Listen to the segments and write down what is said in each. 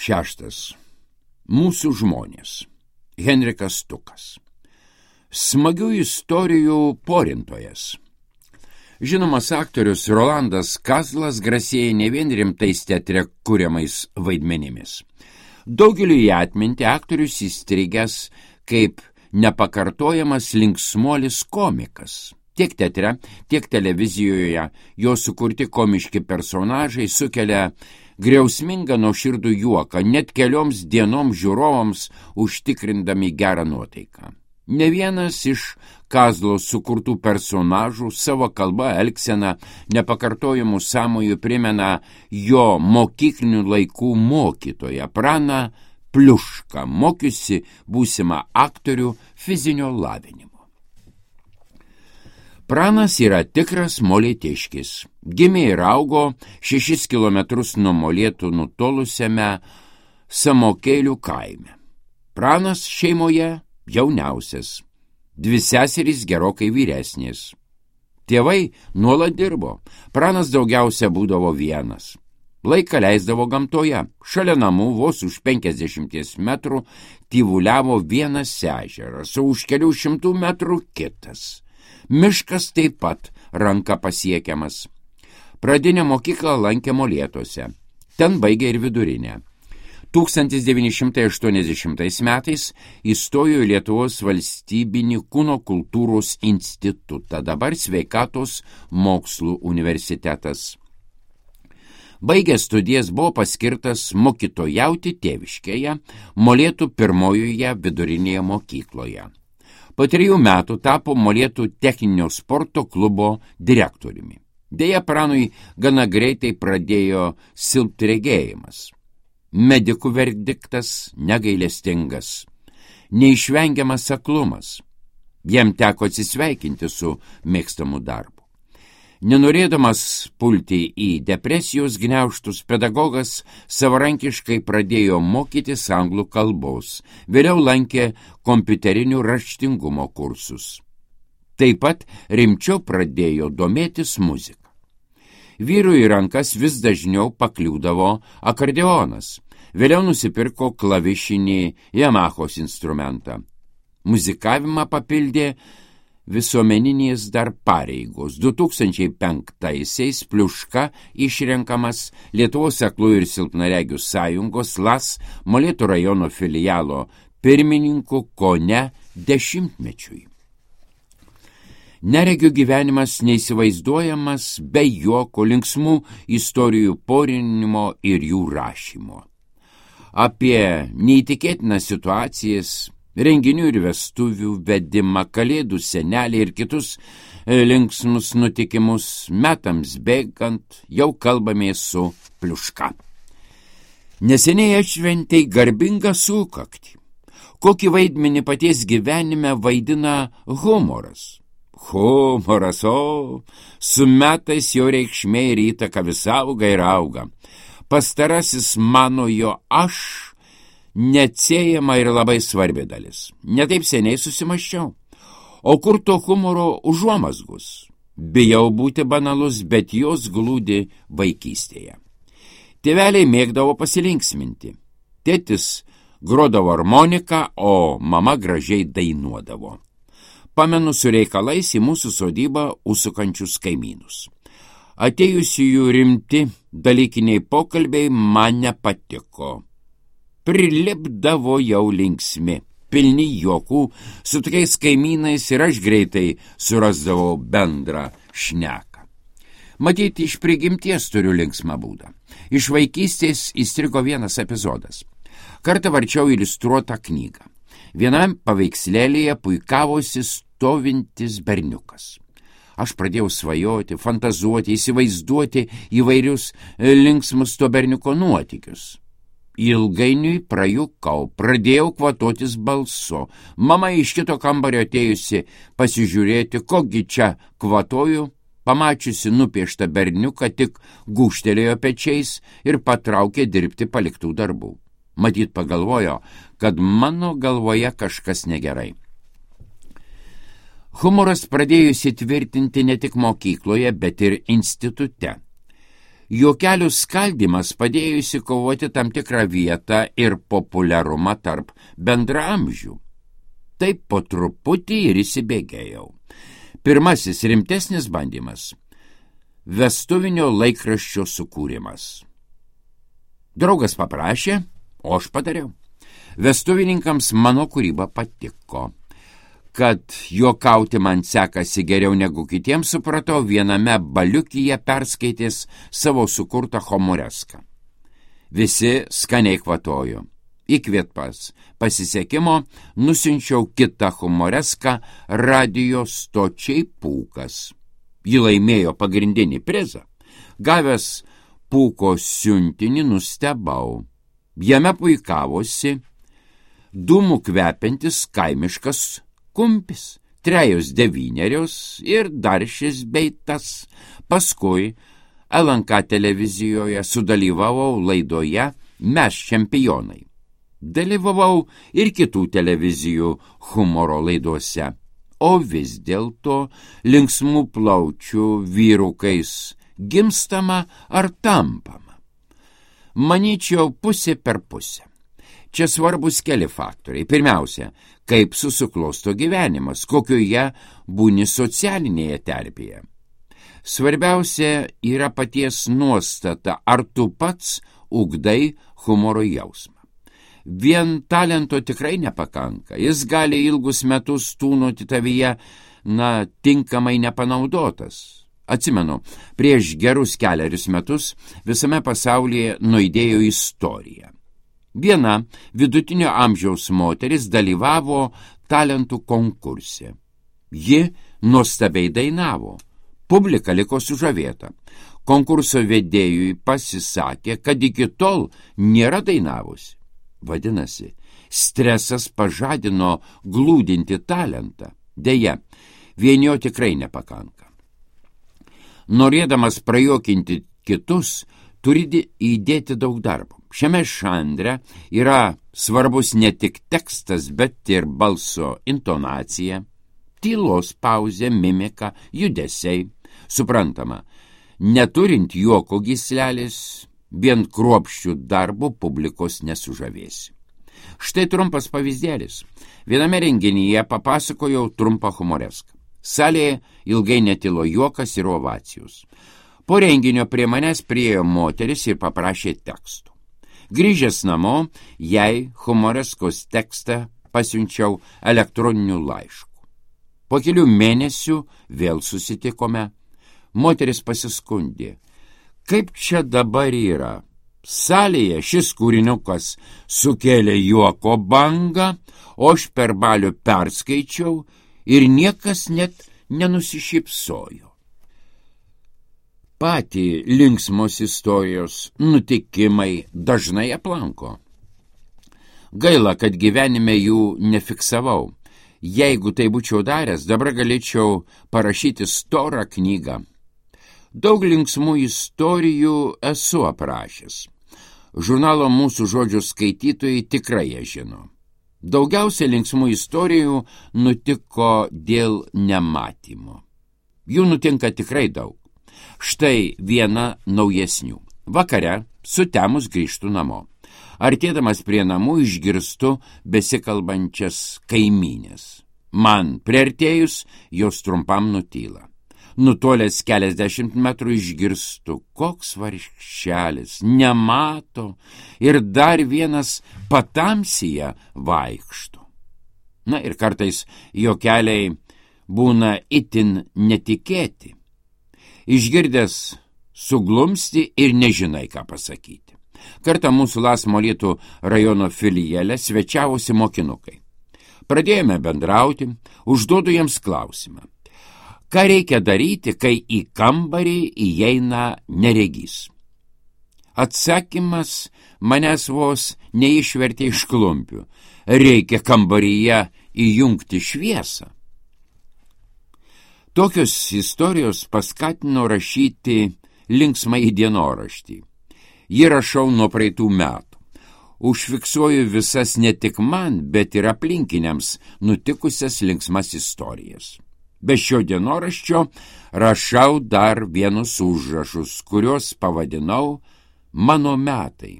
6. Mūsų žmonės. Henrikas Stukas. Smagių istorijų porintojas. Žinomas aktorius Rolandas Kazlas grasėja ne vien rimtais teatre kuriamais vaidmenimis. Daugeliu į atmintį aktorius įstrigęs kaip nepakartojamas linksmuolis komikas. Tiek teatre, tiek televizijoje jo sukurti komiški personažai sukelia griausmingą nuoširdų juoką, net kelioms dienoms žiūrovams užtikrindami gerą nuotaiką. Ne vienas iš Kazlo sukurtų personažų savo kalba, elgsena, nepakartojimų sąmojų primena jo mokyklinių laikų mokytoją Praną Pliušką, mokiusi būsimą aktorių fizinio lavinimo. Pranas yra tikras molėtiškis. Gimė ir augo 6 kilometrus nuo Molėtų nutolusiame Samokėlių kaime. Pranas šeimoje jauniausias, 2 seserys gerokai vyresnės. Tėvai nuolat dirbo, Pranas daugiausia būdavo vienas. Laiką leisdavo gamtoje, šalia namų vos už 50 metrų tyvuliavo vienas ežeras, o už kelių 100 metrų kitas. Miškas taip pat ranka pasiekiamas. Pradinę mokyklą lankė Molėtuose, ten baigė ir vidurinę. 1980 metais įstojo į Lietuvos valstybinį kūno kultūros institutą, dabar Sveikatos mokslų universitetas. Baigęs studijas buvo paskirtas mokytojauti tėviškėje, Molėtų pirmojoje vidurinėje mokykloje. Po 3 metų tapo Molėtų techninio sporto klubo direktoriumi. Deja, Pranui gana greitai pradėjo silpti regėjimas. Medikų verdiktas negailestingas, neišvengiamas aklumas. Jam teko atsisveikinti su mėgstamu darbu. Nenorėdamas pulti į depresijos gniaužtus, pedagogas savarankiškai pradėjo mokytis anglų kalbos, vėliau lankė kompiuterinių raštingumo kursus. Taip pat rimčiau pradėjo domėtis muzika. Vyrui į rankas vis dažniau pakliūdavo akordeonas, vėliau nusipirko klavišinį Yamahos instrumentą. Muzikavimą papildė visuomeninės dar pareigos. 2005-aisiais Pliuška išrenkamas Lietuvos aklųjų ir silpnaregių sąjungos LAS Molėtų rajono filialo pirmininku kone 10-mečiui. Neregio gyvenimas neįsivaizduojamas be juoko, linksmų istorijų porinimo ir jų rašymo. Apie neįtikėtinas situacijas, renginių ir vestuvių vedimą, kalėdų senelį ir kitus linksmus nutikimus metams bėgant jau kalbamės su Pliuška. Neseniai atšventei garbingą sukaktį. Kokį vaidmenį paties gyvenime vaidina humoras? Humoras, su metais jo reikšmė ir įtaka vis auga ir auga. Pastarasis mano jo aš neatsiejama ir labai svarbi dalis. Netaip seniai susimąsčiau. O kur to humoro užuomazgus? Bijau būti banalus, bet jos glūdi vaikystėje. Tėveliai mėgdavo pasilinksminti. Tėtis grodavo armoniką, o mama gražiai dainuodavo. Pamenu su reikalais į mūsų sodybą užsukančius kaimynus. Atėjusiųjų rimti dalykiniai pokalbiai man nepatiko. Prilipdavo jau linksmi, pilni juokų, su tokiais kaimynais ir aš greitai surasdavau bendrą šneką. Matyti, iš prigimties turiu linksmą būdą. Iš vaikystės įstrigo vienas epizodas. Kartą varčiau iliustruotą knygą. Vienam paveikslėlėje puikavosi stovintis berniukas. Aš pradėjau svajoti, fantazuoti, įsivaizduoti įvairius linksmus to berniuko nuotykius. Ilgainiui prajukau, pradėjau kvatotis balsu. Mama iš kito kambario atėjusi pasižiūrėti, kogi čia kvatoju, pamačiusi nupieštą berniuką, tik gūžtelėjo pečiais ir patraukė dirbti paliktų darbų. Matyt pagalvojo, kad mano galvoje kažkas negerai. Humoras pradėjo įsitvirtinti ne tik mokykloje, bet ir institute. Juokelių skaldimas padėjo įsikovoti tam tikrą vietą ir populiarumą tarp bendraamžių. Taip po truputį ir įsibėgėjau. Pirmasis rimtesnis bandymas – vestuvinio laikraščio sukūrimas. Draugas paprašė, o aš padariau. Vestuvininkams mano kūryba patiko. Kad juokauti man sekasi geriau negu kitiems, supratau viename baliukyje perskaitęs savo sukurtą humoreską. Visi skaniai kvatojo. Įkvėptas pasisekimo nusinčiau kitą humoreską radijo stočiai Pūkas. Ji laimėjo pagrindinį prizą. Gavęs Pūko siuntinį nustebau. Jame puikavosi dūmų kvepiantis kaimiškas kumpis, 3 ir dar šis bei tas. Paskui LNK televizijoje sudalyvavau laidoje Mes čempionai. Dalyvavau ir kitų televizijų humoro laidose, o vis dėlto linksmų plaučių vyrukais gimstama ar tampama. Manyčiau, pusė per pusę. Čia svarbus keli faktoriai. Pirmiausia, kaip susiklosto gyvenimas, kokioje būni socialinėje terpėje. Svarbiausia yra paties nuostata, ar tu pats ugdai humoro jausmą. Vien talento tikrai nepakanka. Jis gali ilgus metus tūnoti tavyje, tinkamai nepanaudotas. Atsimenu, prieš gerus 4 metus visame pasaulyje nuaidėjo istorija. Viena vidutinio amžiaus moteris dalyvavo talentų konkurse. Ji nuostabiai dainavo. Publika liko sužavėta. Konkurso vedėjui pasisakė, kad iki tol nėra dainavusi. Vadinasi, stresas pažadino glūdinti talentą. Deja, vien jo tikrai nepakanka. Norėdamas prajuokinti kitus, turi įdėti daug darbo. Šiame žanre yra svarbus ne tik tekstas, bet ir balso intonacija, tylos pauzė, mimika, judesiai. Suprantama, neturint juoko gyslelės, vien kruopščių darbo publikos nesužavėsi. Štai trumpas pavyzdėlis. Viename renginyje papasakojau trumpą humoreską. Salėje ilgai netilo juokas ir ovacijos. Po renginio prie manęs priėjo moteris ir paprašė tekstų. Grįžęs namo, jai humoreskos tekstą pasiunčiau elektroniniu laišku. Po kelių mėnesių vėl susitikome. Moteris pasiskundė. Kaip čia dabar yra? Salėje šis kūriniukas sukėlė juoko bangą, o aš per balių perskaičiau ir niekas net nenusišypsojo. Patį linksmos istorijos nutikimai dažnai aplanko. Gaila, kad gyvenime jų nefiksavau. Jeigu tai būčiau daręs, dabar galėčiau parašyti storą knygą. Daug linksmų istorijų esu aprašęs. Žurnalo Mūsų žodžių skaitytojai tikrai ją žino. Daugiausia linksmų istorijų nutiko dėl nematymo. Jų nutinka tikrai daug. Štai viena naujesnių. Vakare, sutemus grįžtu namo. Artėdamas prie namų išgirstu besikalbančias kaimynės. Man priartėjus, jos trumpam nutyla. Nutolęs keliasdešimt metrų išgirstu, koks vargšelis, nemato ir dar vienas patamsyje vaikšto. Na ir kartais jo keliai būna itin netikėti. Išgirdęs suglumsti ir nežinai, ką pasakyti. Kartą mūsų Las Molėtų rajono filiale svečiavosi mokinukai. Pradėjome bendrauti, užduodu jiems klausimą. Ką reikia daryti, kai į kambarį įeina neregys? Atsakymas manęs vos neišvertė iš klumpių. Reikia kambaryje įjungti šviesą. Tokios istorijos paskatino rašyti linksmąjį dienoraštį. Jį rašau nuo praeitų metų. Užfiksuoju visas ne tik man, bet ir aplinkiniams nutikusias linksmas istorijas. Be šio dienoraščio rašau dar vienus užrašus, kuriuos pavadinau mano metai.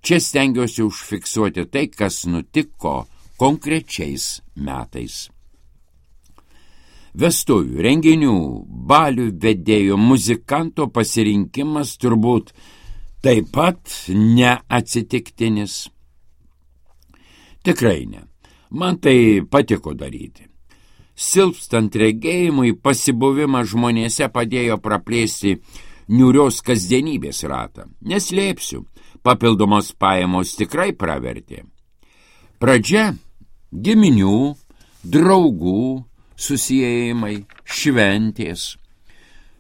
Čia stengiuosi užfiksuoti tai, kas nutiko konkrečiais metais. Vestuvių, renginių, balių vedėjo, muzikanto pasirinkimas turbūt taip pat neatsitiktinis. Tikrai ne. Man tai patiko daryti. Silpstant regėjimui, pasibuvimas žmonėse padėjo praplėsti niūrios kasdienybės ratą. Neslėpsiu, papildomos pajamos tikrai pravertė. Pradžia – giminių, draugų, susiėjimai, šventės.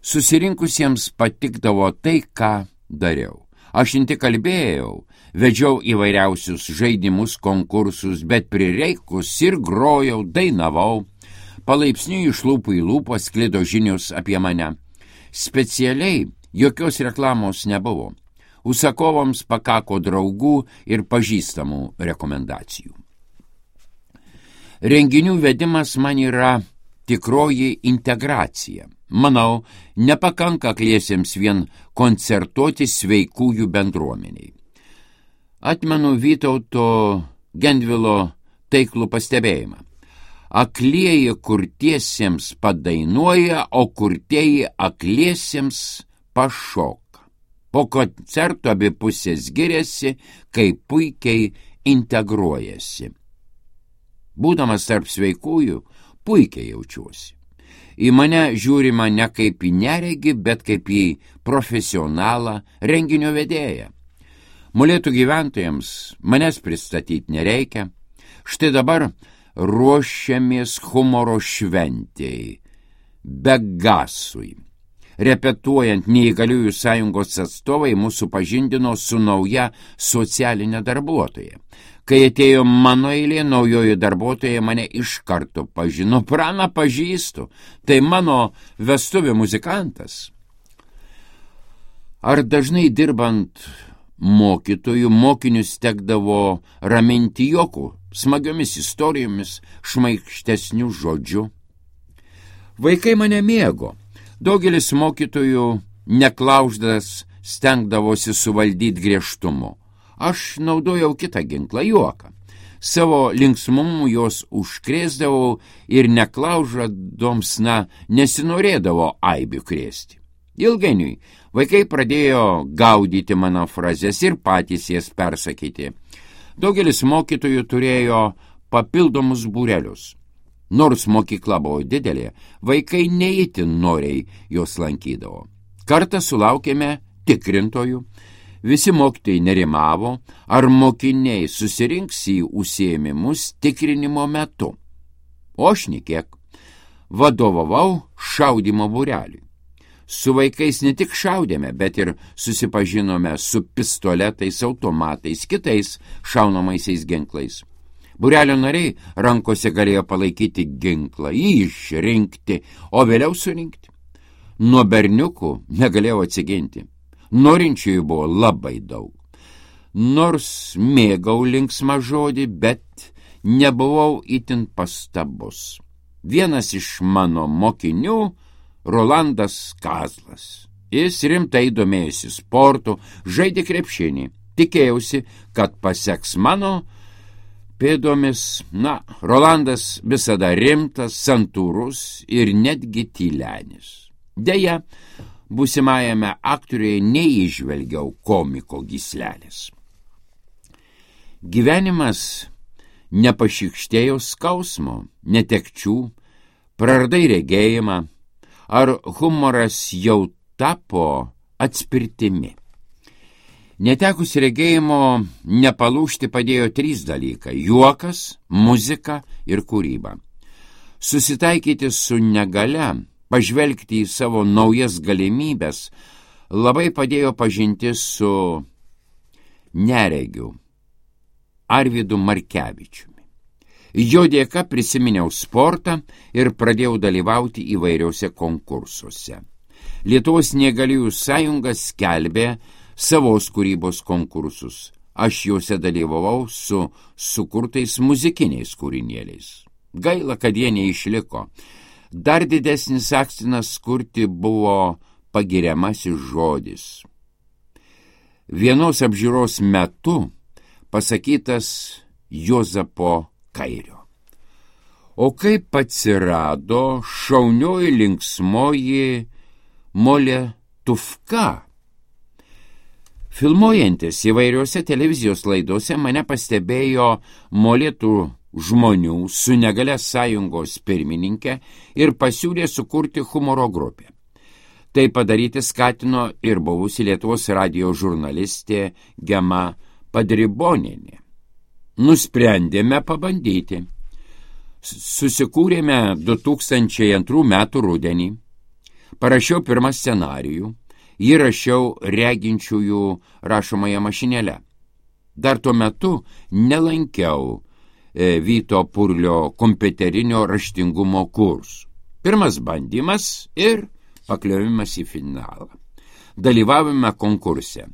Susirinkusiems patikdavo tai, ką dariau. Aš ne tik kalbėjau, vedžiau įvairiausius žaidimus, konkursus, bet prireikus ir grojau, dainavau. Palaipsniui iš lūpų į lūpą sklido žinios apie mane. Specialiai jokios reklamos nebuvo. Užsakovams pakako draugų ir pažįstamų rekomendacijų. Renginių vedimas man yra tikroji integracija. Manau, nepakanka akliesiems vien koncertuoti sveikųjų bendruomeniai. Atmenu Vytauto Gendvilo taiklų pastebėjimą. Aklieji kurtiesiems padainuoja, o kurtieji akliesiems pašoka. Po koncerto abi pusės giriasi, kaip puikiai integruojasi. Būdamas tarp sveikųjų, puikiai jaučiuosi. Į mane žiūrima ne kaip į neregį, bet kaip į profesionalą renginio vedėją. Molėtų gyventojams manęs pristatyti nereikia. Štai dabar ruošiamės humoro šventėjai, Begasui. Repetuojant, neįgaliųjų sąjungos atstovai mūsų pažindino su nauja socialinė darbuotoja. Kai atėjo mano eilė, naujoji darbuotoja mane iš karto pažino. Praną pažįstu, tai mano vestuvių muzikantas. Ar dažnai dirbant mokytojų, mokinius tekdavo raminti juoku, smagiomis istorijomis, šmaikštesnių žodžių? Vaikai mane mėgo. Daugelis mokytojų neklauždas stengdavosi suvaldyti griežtumu. Aš naudojau kitą ginklą, juoką. Savo linksmumu jos užkrėsdavau ir neklaužadoms nesinorėdavo aibių krėsti. Ilgainiui vaikai pradėjo gaudyti mano frazes ir patys jas persakyti. Daugelis mokytojų turėjo papildomus būrelius. Nors mokykla buvo didelė, vaikai neįtin noriai jos lankydavo. Kartą sulaukėme tikrintojų. Visi mokytojai nerimavo, ar mokiniai susirinks į užsiėmimus tikrinimo metu. O aš nekiek. Vadovavau šaudymo būreliui. Su vaikais ne tik šaudėme, bet ir susipažinome su pistoletais, automatais, kitais šaunamaisiais ginklais. Būrelio nariai rankose galėjo palaikyti ginklą, jį išrinkti, o vėliau surinkti. Nuo berniukų negalėjau atsiginti. Norinčiųjų buvo labai daug. Nors mėgau linksmą žodį, bet nebuvau itin pastabus. Vienas iš mano mokinių Rolandas Kazlas. Jis rimtai domėjosi sportu, žaidė krepšinį. Tikėjausi, kad paseks mano pėdomis. Rolandas visada rimtas, santūrus ir netgi tylenis. Deja, būsimajame aktoriuje neįžvelgiau komiko gyslelės. Gyvenimas nepašykštėjo skausmo, netekčių, praradai regėjimą, ar humoras jau tapo atspirtimi. Netekus regėjimo nepalūžti padėjo 3 dalykai – juokas, muzika ir kūryba. Susitaikyti su negalia, pažvelgti į savo naujas galimybės labai padėjo pažintis su neregiu Arvydu Markevičiumi. Jo dėka prisiminiau sportą ir pradėjau dalyvauti įvairiuose konkursuose. Lietuvos neįgaliųjų sąjunga skelbė savos kūrybos konkursus. Aš juose dalyvavau su sukurtais muzikiniais kūrinėliais. Gaila, kad jie neišliko. Dar didesnis akstinas kurti buvo pagiriamasis žodis. Vienos apžiūros metu pasakytas Juozapo Kairio. O kaip atsirado šaunioji linksmoji Moletuvka? Filmuojantis įvairiuose televizijos laidose mane pastebėjo molėtų žmonių su negalia sąjungos pirmininkė ir pasiūlė sukurti humoro grupę. Tai padaryti skatino ir buvusi Lietuvos radijo žurnalistė Gema Padribonienė. Nusprendėme pabandyti. Susikūrėme 2002 metų rudenį. Parašiau pirmą scenarijų. Jį rašiau reginčiųjų rašomąją mašinėlę. Dar tuo metu nelankiau Vyto Purlio kompiuterinio raštingumo kursų. Pirmas bandymas ir pakliovimas į finalą. Dalyvavome konkurse.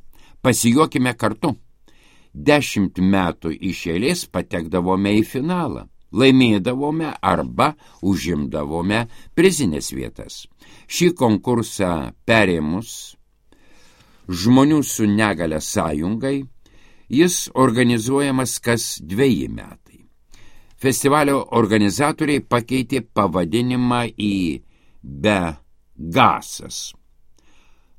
Pasijuokime kartu. 10 metų iš eilės patekdavome į finalą. Laimėdavome arba užimdavome prizinės vietas. Šį konkursą perėmus Žmonių su negalia sąjungai, jis organizuojamas kas 2 metai. Festivalio organizatoriai pakeitė pavadinimą į Begasas.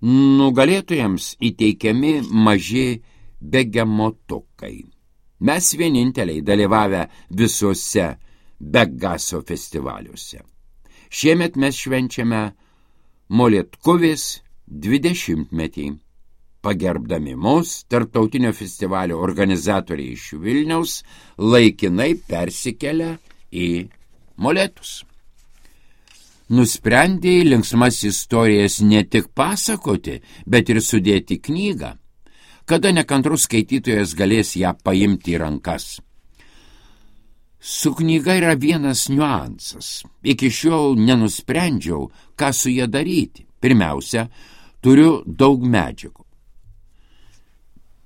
Nugalėtojams įteikiami maži begemotukai. Mes vieninteliai dalyvavę visuose Begaso festivaliuose. Šiemet mes švenčiame Moletkuvės 20-metį. Pagerbdami mus, tarptautinio festivalio organizatoriai iš Vilniaus laikinai persikelia į Molėtus. Nusprendė linksmas istorijas ne tik pasakoti, bet ir sudėti knygą, kada nekantrus skaitytojas galės ją paimti į rankas. Su knyga yra vienas niuansas. Iki šiol nenusprendžiau, ką su ją daryti. Pirmiausia, turiu daug medžiagų.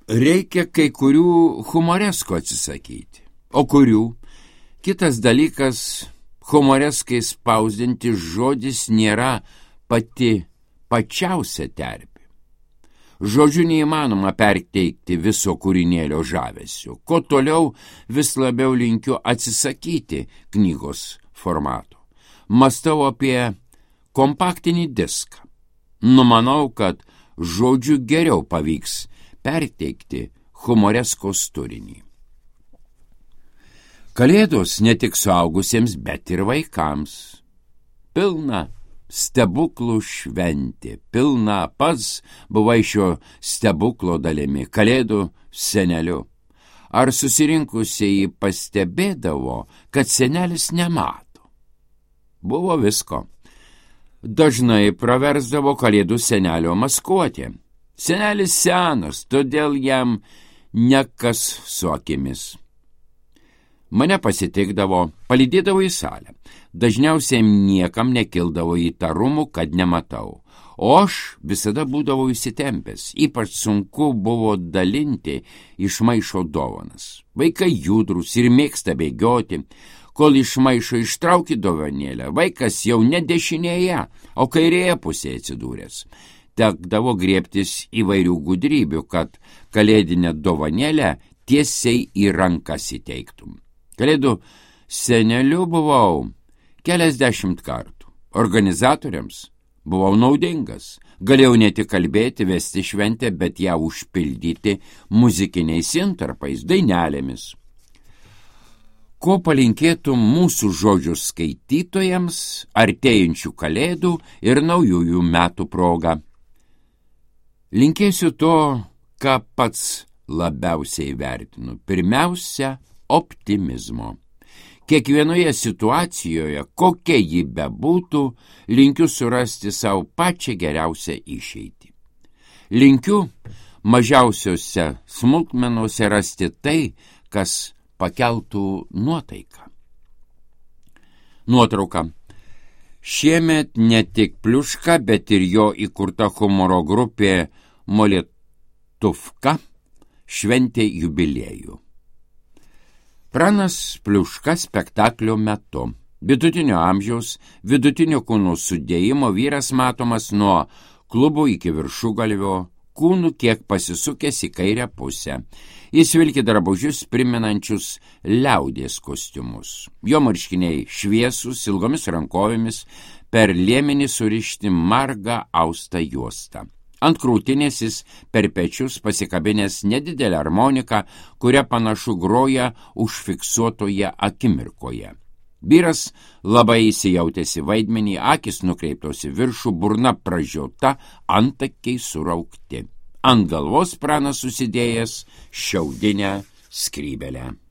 Reikia kai kurių humoreskų atsisakyti. O kurių? Kitas dalykas, humoreskai spausdinti žodis nėra pati pačiausia terpė. Žodžiu neįmanoma perteikti viso kūrinėlio žavesio. Ko toliau vis labiau linkiu atsisakyti knygos formato. Mąstau apie kompaktinį diską. Numanau, kad žodžiu geriau pavyks perteikti humoreskos turinį. Kalėdos ne tik suaugusiems, bet ir vaikams. Pilna stebuklų šventė, pilna pats buvai šio stebuklo dalimi, kalėdų seneliu. Ar susirinkusieji pastebėdavo, kad senelis nemato? Buvo visko. Dažnai praversdavo kalėdų senelio maskuotė. Senelis senas, todėl jam nekas su akimis. Mane pasitikdavo, palydėdavo į salę. Dažniausiai niekam nekildavo įtarumų, kad nematau. O aš visada būdavau įsitempęs. Ypač sunku buvo dalinti iš maišo dovanas. Vaikai judrus ir mėgsta bėgioti. Kol iš maišo ištrauki dovanėlę, vaikas jau ne dešinėje, o kairėje pusėje atsidūręs. Tekdavo griebtis įvairių gudrybių, kad kalėdinę dovanėlę tiesiai į rankas įteiktum. Kalėdų seneliu buvau keliasdešimt kartų. Organizatoriams buvau naudingas. Galėjau ne tik kalbėti, vesti šventę, bet ją užpildyti muzikiniais intarpais, dainelėmis. Ko palinkėtų mūsų žodžių skaitytojams artėjančių kalėdų ir naujųjų metų proga? Linkėsiu to, ką pats labiausiai vertinu. Pirmiausia, optimizmo. Kiekvienoje situacijoje, kokia ji bebūtų, linkiu surasti savo pačią geriausią išeitį. Linkiu mažiausiose smulkmenose rasti tai, kas pakeltų nuotaiką. Nuotrauka. Šiemet ne tik Pliuška, bet ir jo įkurta humoro grupė Moletuvka šventė jubiliejų. Pranas Pliuška spektaklio metu Vidutinio amžiaus, vidutinio kūno sudėjimo vyras matomas nuo klubų iki viršugalvio, kūnų kiek pasisukęs į kairę pusę. Jis vilki drabužius primenančius liaudies kostiumus. Jo marškiniai šviesūs, ilgomis rankovėmis, per liemenį surišti margą austą juostą. Ant krūtinės jis per pečius pasikabinęs nedidelę harmoniką, kurią panašu groja užfiksuotoje akimirkoje. Vyras labai įsijautęs į vaidmenį, akis nukreiptos į viršų, burna pražiota, antakiai suraukti. Ant galvos pranas susidėjęs šiaudinę skrybelę.